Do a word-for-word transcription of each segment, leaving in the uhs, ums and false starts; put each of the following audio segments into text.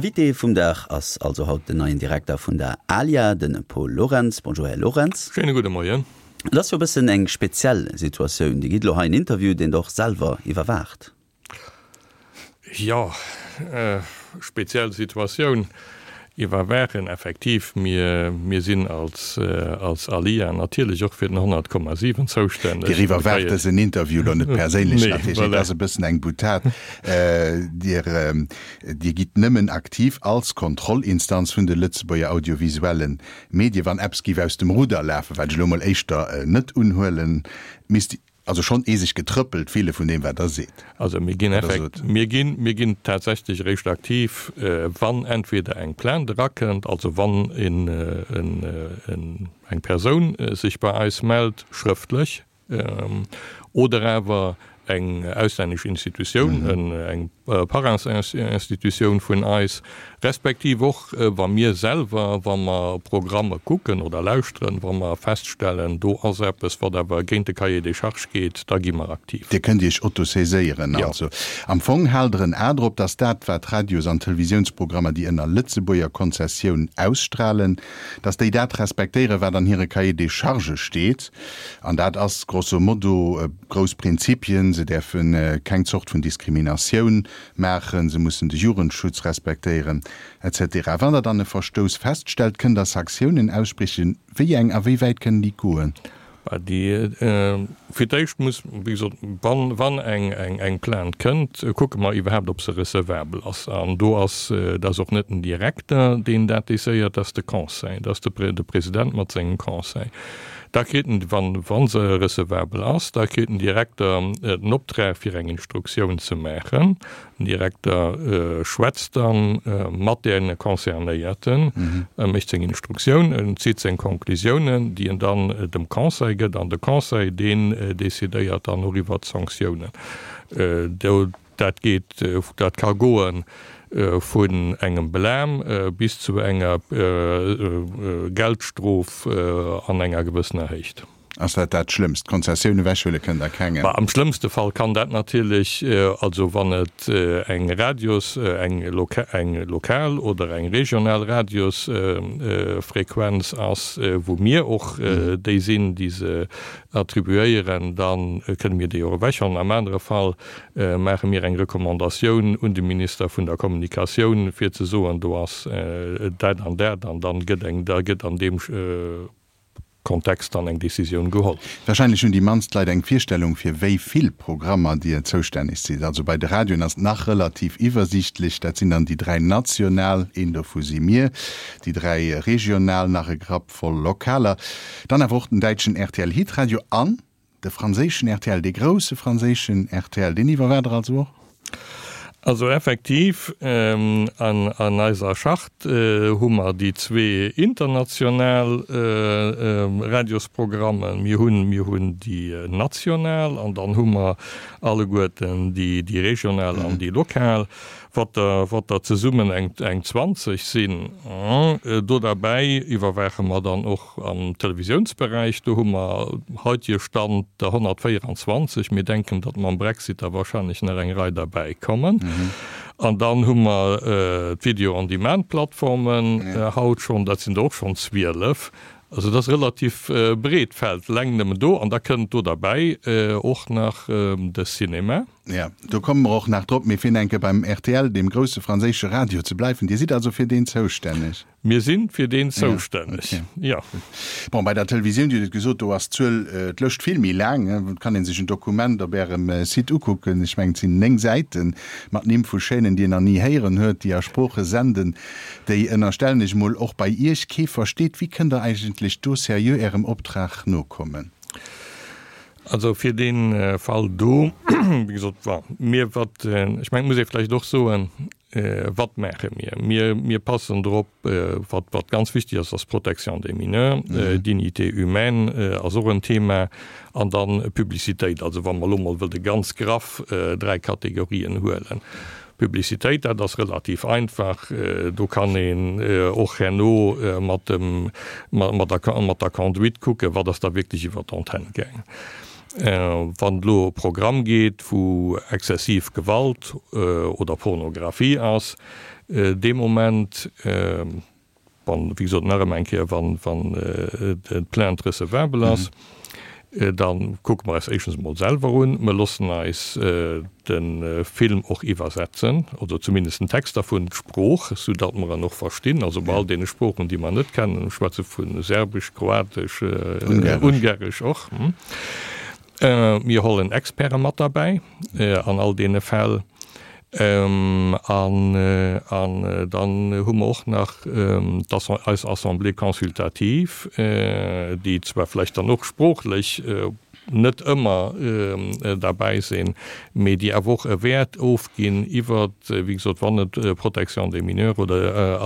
Invité vum Dag ass also haut den neien Direkter vun der ALIA, de Paul Lorentz. Bonjour, Här Lorentz. Schéine gudde Moien. Et ass jo e bëssen eng speziell Situatioun. Dir gitt elo hei en Interview, deen Der och selwer iwwerwaacht. Jo, speziell Situatioun. Iwwerwaachen, effektiv. Mir, mir sinn als, als ALIA natierlech och fir den honnert Komma siwen zoustänneg. Dir iwwerwaacht dësen Interview elo net perséinlech natierlech, et ass e bëssen eng Boutade. Dir, Dir gitt nëmmen aktiv als Kontrollinstanz vun de Lëtzebuerger audiovisuelle Medien, wann eppes géif aus dem Rudder lafen, wat ech elo mol éischter net unhuelen, misst also schonn ee sech getrëppelt fille vun deem, wat Der seet. Also mir ginn effekt, mir ginn, mir ginn tatsächlech eréischt aktiv, wann entweder eng Plainte erakënnt, also wann een, en, eng Persoun sech bei eis mellt, schrëftlech, oder awer eng auslännesch Institutioun, eng Parentsinstitutioun vun eis, respektiv och wa mir selwer, wa mer Programme kucken oder lauschteren, wa mer feststellen, do ass eppes, wat awer géint de Cahier des charges geet, da gi mer aktiv. Dir kënnt Iech autosaiséieren also. Am Fong haalt Der en A drop, datt dat, wat Radios an Televisiounsprogrammer, déi ënner Lëtzebuerger Konzessioun ausstrahlen, datt déi dat respektéieren, wat an hire Cahier des charges steet. An dat ass grosso modo grouss Prinzipien, se däerfe keng Zort vun Diskriminatioun maachen, se mussen de Jugendschutz respektéieren, et cetera. Wann Der dann e Verstouss feststellt, kënnt Der Sanktiounen aussprechen. Wéi eng a wéi wäit kënnen déi goen? Déi, fir d'éischt muss, wéi gesot, wann, wann eng, eng, eng Plainte kënnt, kucke mer iwwerhaapt, ob se recevabel ass. An do ass, dat ass och net den Direkter, deen dat décidéiert, dat ass de Conseil, dat ass de, de President mat sengem Conseil. Da kritt en, wann, wa se recevabel ass, da kritt den Direkter den Optrag, fir eng Instruktioun ze maachen. Den Direkter schwätzt da mat deene Concernéierten, e mécht seng Instruktioun, en zitt seng Conclusiounen, déi en dann dem Conseil gëtt, an de Conseil, deen decidéiert dann och iwwert d'Sanktiounen. Do, dat geet, dat ka goe vun engem Blâme bis zu enger Geldstrof an enger gewëssener Héicht. Ass dat dat Schlëmmst? D'Konzessioun ewechhuele kënnt Der kengem. Am schlëmmste Fall kann dat natierlech, also wann et eng Radios, eng eng lokal oder eng regional Radiosfrequenz ass, wou mir och déi sinn, déi se attribuéieren, da kënne mir déi och ewechhuelen. Am anere Fall maache mir eng Recommandatioun un de Minister vun der Kommunikatioun, fir ze soen, do ass dat an dat, an dann gëtt eng, da gëtt an deem Kontext dann eng Décisioun geholl. Wahrscheinlech hunn déi mannst Leit eng Virstellung, fir wéi vill Programmer Dir zoustänneg sidd. Also bei de Radioen ass et nach relativ iwwersiichtlech, dat sinn dann déi dräi national, een dovu si mir, déi dräi regional, nach e Grapp voll lokaler, dann awer och den däitschen R T L Hitradio an de franséischen R T L, dee grousse franséischen R T L, deen iwwerwaacht Der also och? Also effektiv, an eiser Charte hu mer déi zwee international Radiosprogrammen. Mir hunn, mir hunn déi national an dann hu mer alleguerten déi, déi regional an déi lokal, wat der, wat der zesummen eng, eng zwanzeg sinn. Do derbäi iwwerwaache mer dann och am Televisiounsberäich, do hu mer heutige Stand der honnertvéieranzwanzeg. Mir denken, datt mam Brexit da wahrscheinlech nach eng Rei derbäi kommen. An dann hu mer d'Video-on-Demand-Plattformen haut schonn, dat sinn der och schonn zwielef. Also dat ass relativ breet Feld, eleng nëmmen do. An da kënnt do derbäi och nach de Cinéma. Jo, do komme mer och nach drop. Mee fir enke beim R T L, deem grousse franséische Radio, ze bleiwen, Dir sidd also fir deen zoustänneg? Mir si fir deen zoustänneg, jo. Bon, bei der Televisioun, Dir hutt et gesot, do ass d'Zuel, d'Lëscht vill méi laang. Et kann ee sech en Dokument op Ärem Site ukucken, ech mengen, et sinn néng Säiten mat Nimm vu Chaînen, déi een nach ni héieren huet, déi a Sprooche senden, déi, ënnerstellen ech mol, och bei Iech kee versteet. Wéi kënnt Der eigentlech do seriö Ärem Optrag nokommen? Also fir dee Fall do, wéi gesot, bon, mir wat, ech mengen, et muss ee vläicht och soen, wat maache mir? Mir, mir passen drop, wat, wat ganz wichtig ass, ass d'Protection des mineurs, Dignité humaine ass och en Thema, an dann Publicitéit. Also wa mer elo mol wëlle ganz graff dräi Kategorien huelen. Publicitéit, dat ass relativ einfach, do kann een och herno mat dem, mat der, mat der Conduite kucken, wat ass da wierklech iwwer d'Antenne gaangen. Wann et elo e Programm geet, wou exzessiv Gewalt oder Pornografie ass, dee Moment, wann, wéi gesot, nach eng Kéier, wann d'Plainte recevabel ass, da kucke mer eis éischtens emol selwer un. Mer loossen eis de Film och iwwersetzen, oder zumindest den Text dervun, d'Sprooch, soudatt mer en och verstinn, also bei all deene Sproochen, déi mer net kennen, ech schwätze vu Serbesch, Kroatesch, Ungaresch och. Mir hollen Experte mat derbäi an all deene Fäll. An dann hu mer och nach eis Assemblée consultative, déi zwar vläicht dann och sproochlech net ëmmer derbäi sinn, mee déi awer och e Wäert ofginn iwwert, wéi gesot, wann et Protection des mineurs oder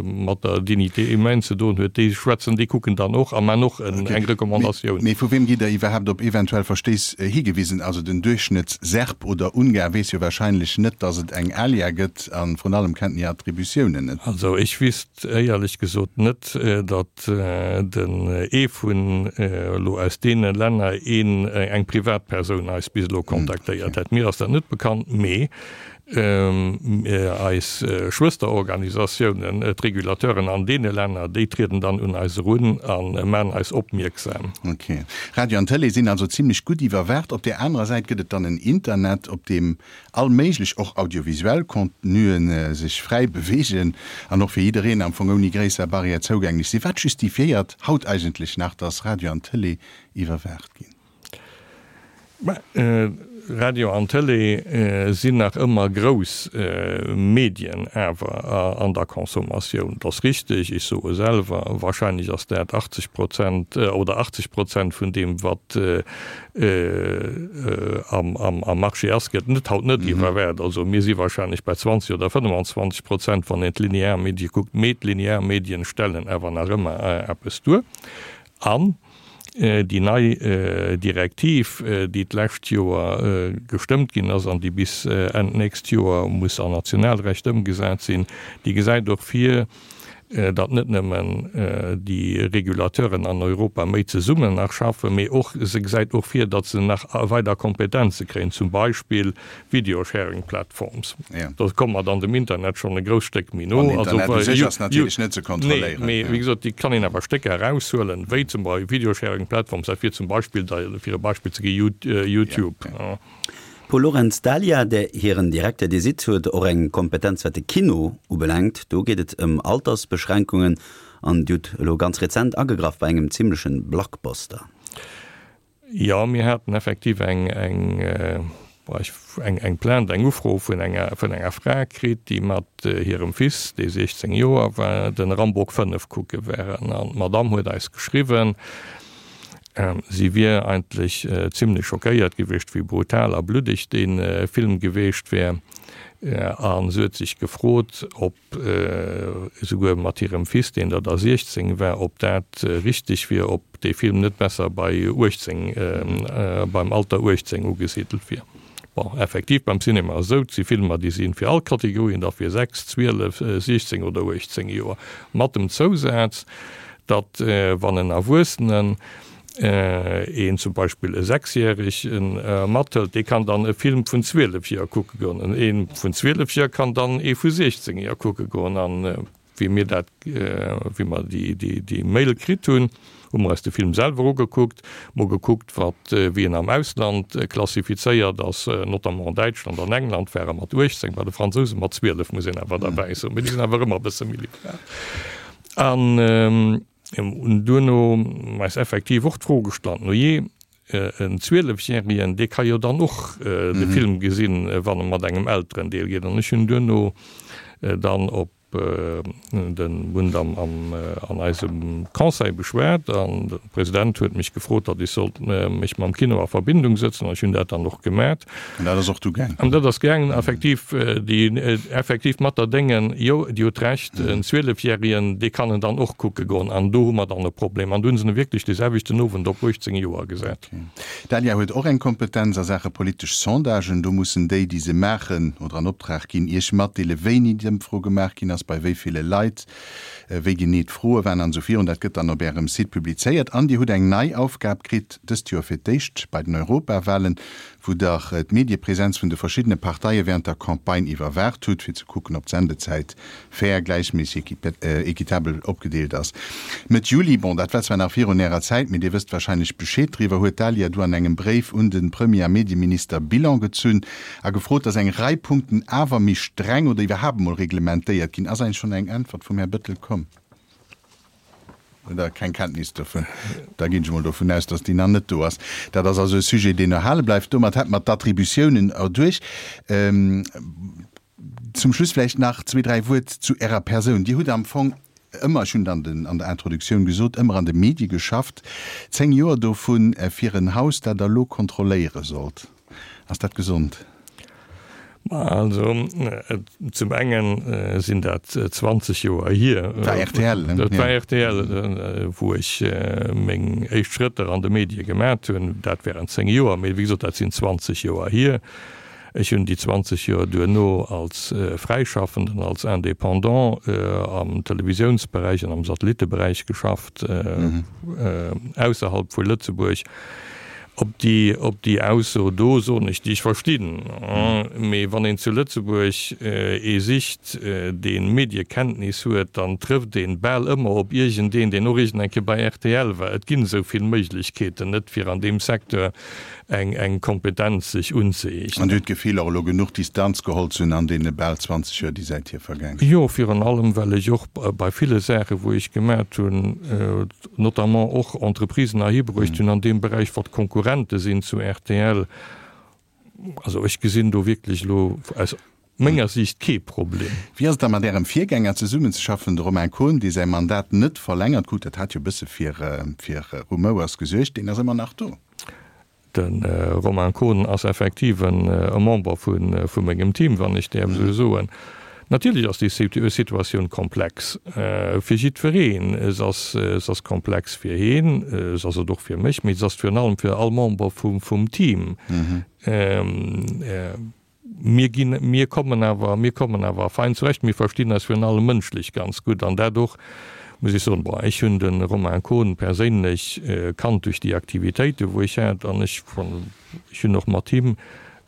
mat der Dignité humaine ze doen huet, déi schwätzen, déi kucken dann och a man och eng Recommandatioun. Mee vu weem gitt Der iwwerhaapt op eventuell Verstéiss higewisen? Also den Duerchschnëtts-Serb oder Ungar weess jo wahrscheinlech net, datt et eng ALIA gëtt a vrun allem kennt en hir Attributiounen net. Also ech wisst éierlech gesot net, datt den ee vun elo aus deene Länner een, eng Privatpersoun eis bis elo kontaktéiert hätt. Mir ass dat net bekannt, mee eis Schwësterorganisatiounen, d'Regulateuren an deene Länner, déi trieden dann un eis erun a maan eis opmierksam. Ok. Radio an Tëlee sinn also zimlech gutt iwwerwaacht. Op där anerer Säit gëtt et dann en Internet, op deem all méiglech, och audiovisuell Contenuen sech fräi beweegen an och fir jiddereen am Fong ouni gréisser Barrière zougänglech sinn. Wat justifiéiert haut eigentlech nach, dass Radio an Tëlee iwwerwaacht ginn? Mä Radio an Tëlee sinn nach ëmmer grouss Medien awer an der Consommatioun. Et ass richteg, ech soe selwer, wahrscheinlech ass dat achtzeg Prozent oder achtzeg Prozent vun deem, wat am Marché ass, gëtt net haut net iwwerwäert. Also mir si wahrscheinlech bei zwanzeg oder fënnefenzwanzeg Prozent, wann een d'linear Medie kuckt. Mee d'linear Medien stellen awer nach ëmmer eppes duer. An déi nei Direktiv, déi d'lescht Joer gestëmmt ginn ass an déi bis Enn d'nächst Joer muss an Nationalrecht ëmgesat sinn, déi gesäit och vir, datt net nëmmen déi Regulateuren an Europa méi zesummen nach schaffen, mee och, se gesäit och vir, datt se nach weider Kompetenze kréien, zum Beispill Video-Sharing Platforms. Do komme mer dann dem Internet schonn e grousst Stéck méi no. An Internet u sech ass natierlech net ze kontrolléieren. Nee, mee wéi gesot, déi kann een awer Stécker eraushuelen, wéi zum Beispill Video-Sharing Platforms, dat wier zum Beispill, fir e Beispill ze gi, YouTube. Paul Lorentz, D'ALIA, där hiren Direkter Dir sidd, huet och eng Kompetenz wat de Kino ubelaangt. Do geet et ëm Altersbeschränkungen an Dir hutt elo ganz rezent agegraff bei engem zimlechen Blockbuster. Jo, mir haten effektiv eng eng eng Plainte, eng Ufro vun enger vun enger Fra kritt, déi mat hirem Fils, dee siechzéng Joer war, den Rambo fënnef kucke waren. An d'Madamm huet eis geschriwwen, Si wier eigentlech zimlech schockéiert gewiescht, wéi brutal a bluddeg dee Film gewiescht wär. A se huet sech gefrot, ob, esouguer mat hirem Fils, deen der da siechzéng war, ob dat richteg wier, ob dee Film net besser bei uechtzéng, beim Alter uechtzéng ugesidelt wier. Bon, effektiv, beim Cinema ass esou, et si Filmer, déi si fir all Kategorien, da fir sechs, zwielef, siechzéng oder uechtzéng Joer, mat dem Zousaz, datt wann en Erwuessenen een zum Beispill e Sechsjäregen mathëlt, dee kann dann e Film vun zwielef Joer kucke goen, an ee vun zwielef Joer kann dann ee vu siechzéng Joer kucke goen. An wéi mir dat, wéi mer déi, déi, déi Mail kritt hunn, hu mer eis de Film selwer ugekuckt, mol gekuckt, wat, wéi en am Ausland klassifizéiert ass, notamment an Däitschland an England war e mat uechtzéng, bei de Fransouse mat zwielef, muss een awer derbäi soen, mee déi sinn awer ëmmer e bësse méi liberal. An duerno eis effektiv och d'Fro gestallt, no jee, en Zwielefjäregen, dee ka jo dann och de Film gesinn, wann e mat engem Elterendeel geet. An ech hunn duerno dann op den Bund am an eisem Conseil beschwat an de President huet mech gefrot, datt ech sollt mech mam Kino a Verbindung sëtzen an ech hunn dat dann och gemat. An dat ass och du gaangen? An dat ass gaangen, effektiv, déi effektiv mat der Déngen, jo, Dir hutt Recht, en Zwielefjäregen, dee kann en dann och kucke goen an do hu mer dann e Problem. An do hu se en wierklech dee selwechten Owend op uechtzéng Joer gesat. D'ALIA huet och eng Kompetenz a Saache politesch Sondagen. Do mussen déi, déi se maachen oder an Optrag ginn, Iech matdeele wéini d'Ëmfro gemaach ginn ass. ass, bei wéi ville Leit, wéi genee d'Froe waren an esou virun. Dat gëtt dann op Ärem Site publizéiert. An Dir hutt eng nei Aufgab kritt, dëst Joer fir d'éischt bei den Europawahlen, wou Der d'Mediepresenz vun de verschiddene Parteie während der Campagne iwwerwaacht hutt, fir ze kucken, ob d'Sendezäit fair, gläichméisseg, équitabel opgedeelt ass. Mëtt Juli, bon, dat war zwar nach virun Ärer Zäit, mee Dir wësst wahrscheinlech Bescheed driwwer, huet d'ALIA du an engem Bréif un de Premier a Medieminister Bilan gezunn a gefrot, dass eng Rei Punkten awer méi streng oder iwwerhaapt emol reglementéiert ginn. Ass eigentlech schonn eng Äntwert vum Här Bettel komm? Oder keng Kenntnis dovun? Da ginn ech emol dovun aus, dass déi nach net do ass. Dat ass also e Sujet, deen erhale bleift. Domat hätte mer d'Attributiounen erduerch. Zum Schluss vläicht nach zwee, dräi Wuert zu Ärer Persoun. Dir hutt am Fong ëmmer, ech hunn et an den, an der Introduktioun gesot, ëmmer an de Medie geschafft, zéng Joer dovun fir en Haus, dat Der elo kontrolléiere sollt. Ass dat gesond? Also zum engen sinn dat zwanzeg Joer hier. Dat war rtl, ne? Dat war rtl, wou ech meng éischt Schrëtter an de Medie gemat hunn. Dat während zéng Joer, mee wéi gesot, dat sinn zwanzeg Joer hier. Ech hunn déi zwanzeg Joer duerno als Fräischaffenden, als Indépendant am Televisiounsberäich an am Satellitteberäich geschafft, ausserhalb vu Lëtzebuerg. Op déi, op déi Ausso do soen ech, déi ech verstinn. Mee wann een zu Lëtzebuerg ee sicht, dee Mediekenntnis huet, dann trëfft een bal ëmmer op iergendeen, deen och iergend eng Kéier bei rtl war. Et ginn esou vill Méiglechkeeten net, fir an deem Secteur eng, eng Kompetenz sech unzëeegnen. An Dir hutt d'Gefill, och elo genuch Distanz geholl ze hunn an deene bal zwanzeg Joer, déi säithier vergaang sinn? Jo, virun allem, well ech och bei ville Saachen, wou ech gemat hunn, notamment och Entreprisen erhibruecht hunn an deem Beräich, wat Konkurrente sinn zu rtl. Also ech gesinn do wierklech elo aus menger Siicht kee Problem. Wéi ass et da mat Ärem Virgänger zesummenzeschaffen, de Romain Kohn, dee säi Mandat net verlängert krut? Dat hat jo e bësse fir Rumouers gesuergt. Deen ass ëmmer nach do. De Romain Kohn ass effektiv e Member vu mengem Team, wann ech däerf esou soen. Natierlech ass déi Situatioun komplex fir jiddwereen. Se ass, se ass komplex fir hien, se ass et och fir mech, mee se ass virun allem fir all Member vum Team. Mir ginn, mir kommen awer, mir kommen awer fein zurecht. Mir verstinn eis virun allem mënschlech ganz gutt an dat och, muss ech soen, bon, ech hunn de Romain Kohn perséinlech kannt duerch déi Aktivitéiten, wou ech hat an ech, ech hunn och mat him,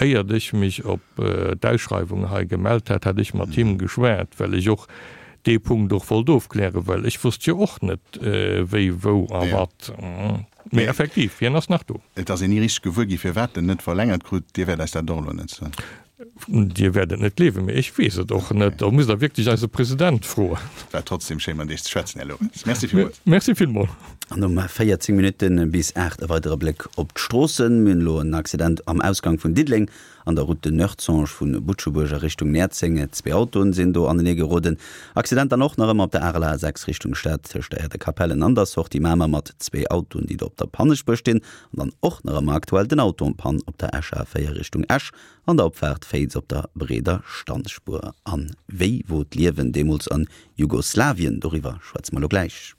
éiert ech mech op d'Ausschreiwung hei gemellt hat, hat ech mat him geschwat, well ech och dee Punkt och wollt ofklären, well ech wosst jo och net, wéi, wou a wat. Mee effektiv, hien ass nach do. Et ass een ni richteg gewuer gi firwat en net verlängert krut. Dir wäert eis dat och elo net soen. Dir wäert et net gleewen, mee ech weess et och net. Do musst Der wierklech eise President froen. Et war trotzdem schéin mat Iech ze schwätzen, Här Lorenz. Merci villmools. Merci villmools. An um véierzéng Minutte bis aacht e weidere Bléck op d'Stroossen. Mir hunn elo en Accident am Ausgang vun Diddeleng an der Route de Noertzange vu Butschebuerg a Richtung Näerzeng. Zwee Autoen sinn do anenee geroden. Accident dann och nach ëmmer op der A sechs Richtung Stad tëscht der Aire de Capellen an der Sortie Mamer mat zwee Autoen, déi do op der Pannespuer stinn. An dann och nach ëmmer aktuell den Auto en panne op der Escher A véier Richtung Esch an der Opfaart Féiz op der breeder Standspuer. An wéi wor d'Liewen deemools an Jugoslawien? Doriwwer schwätze mer elo gläich.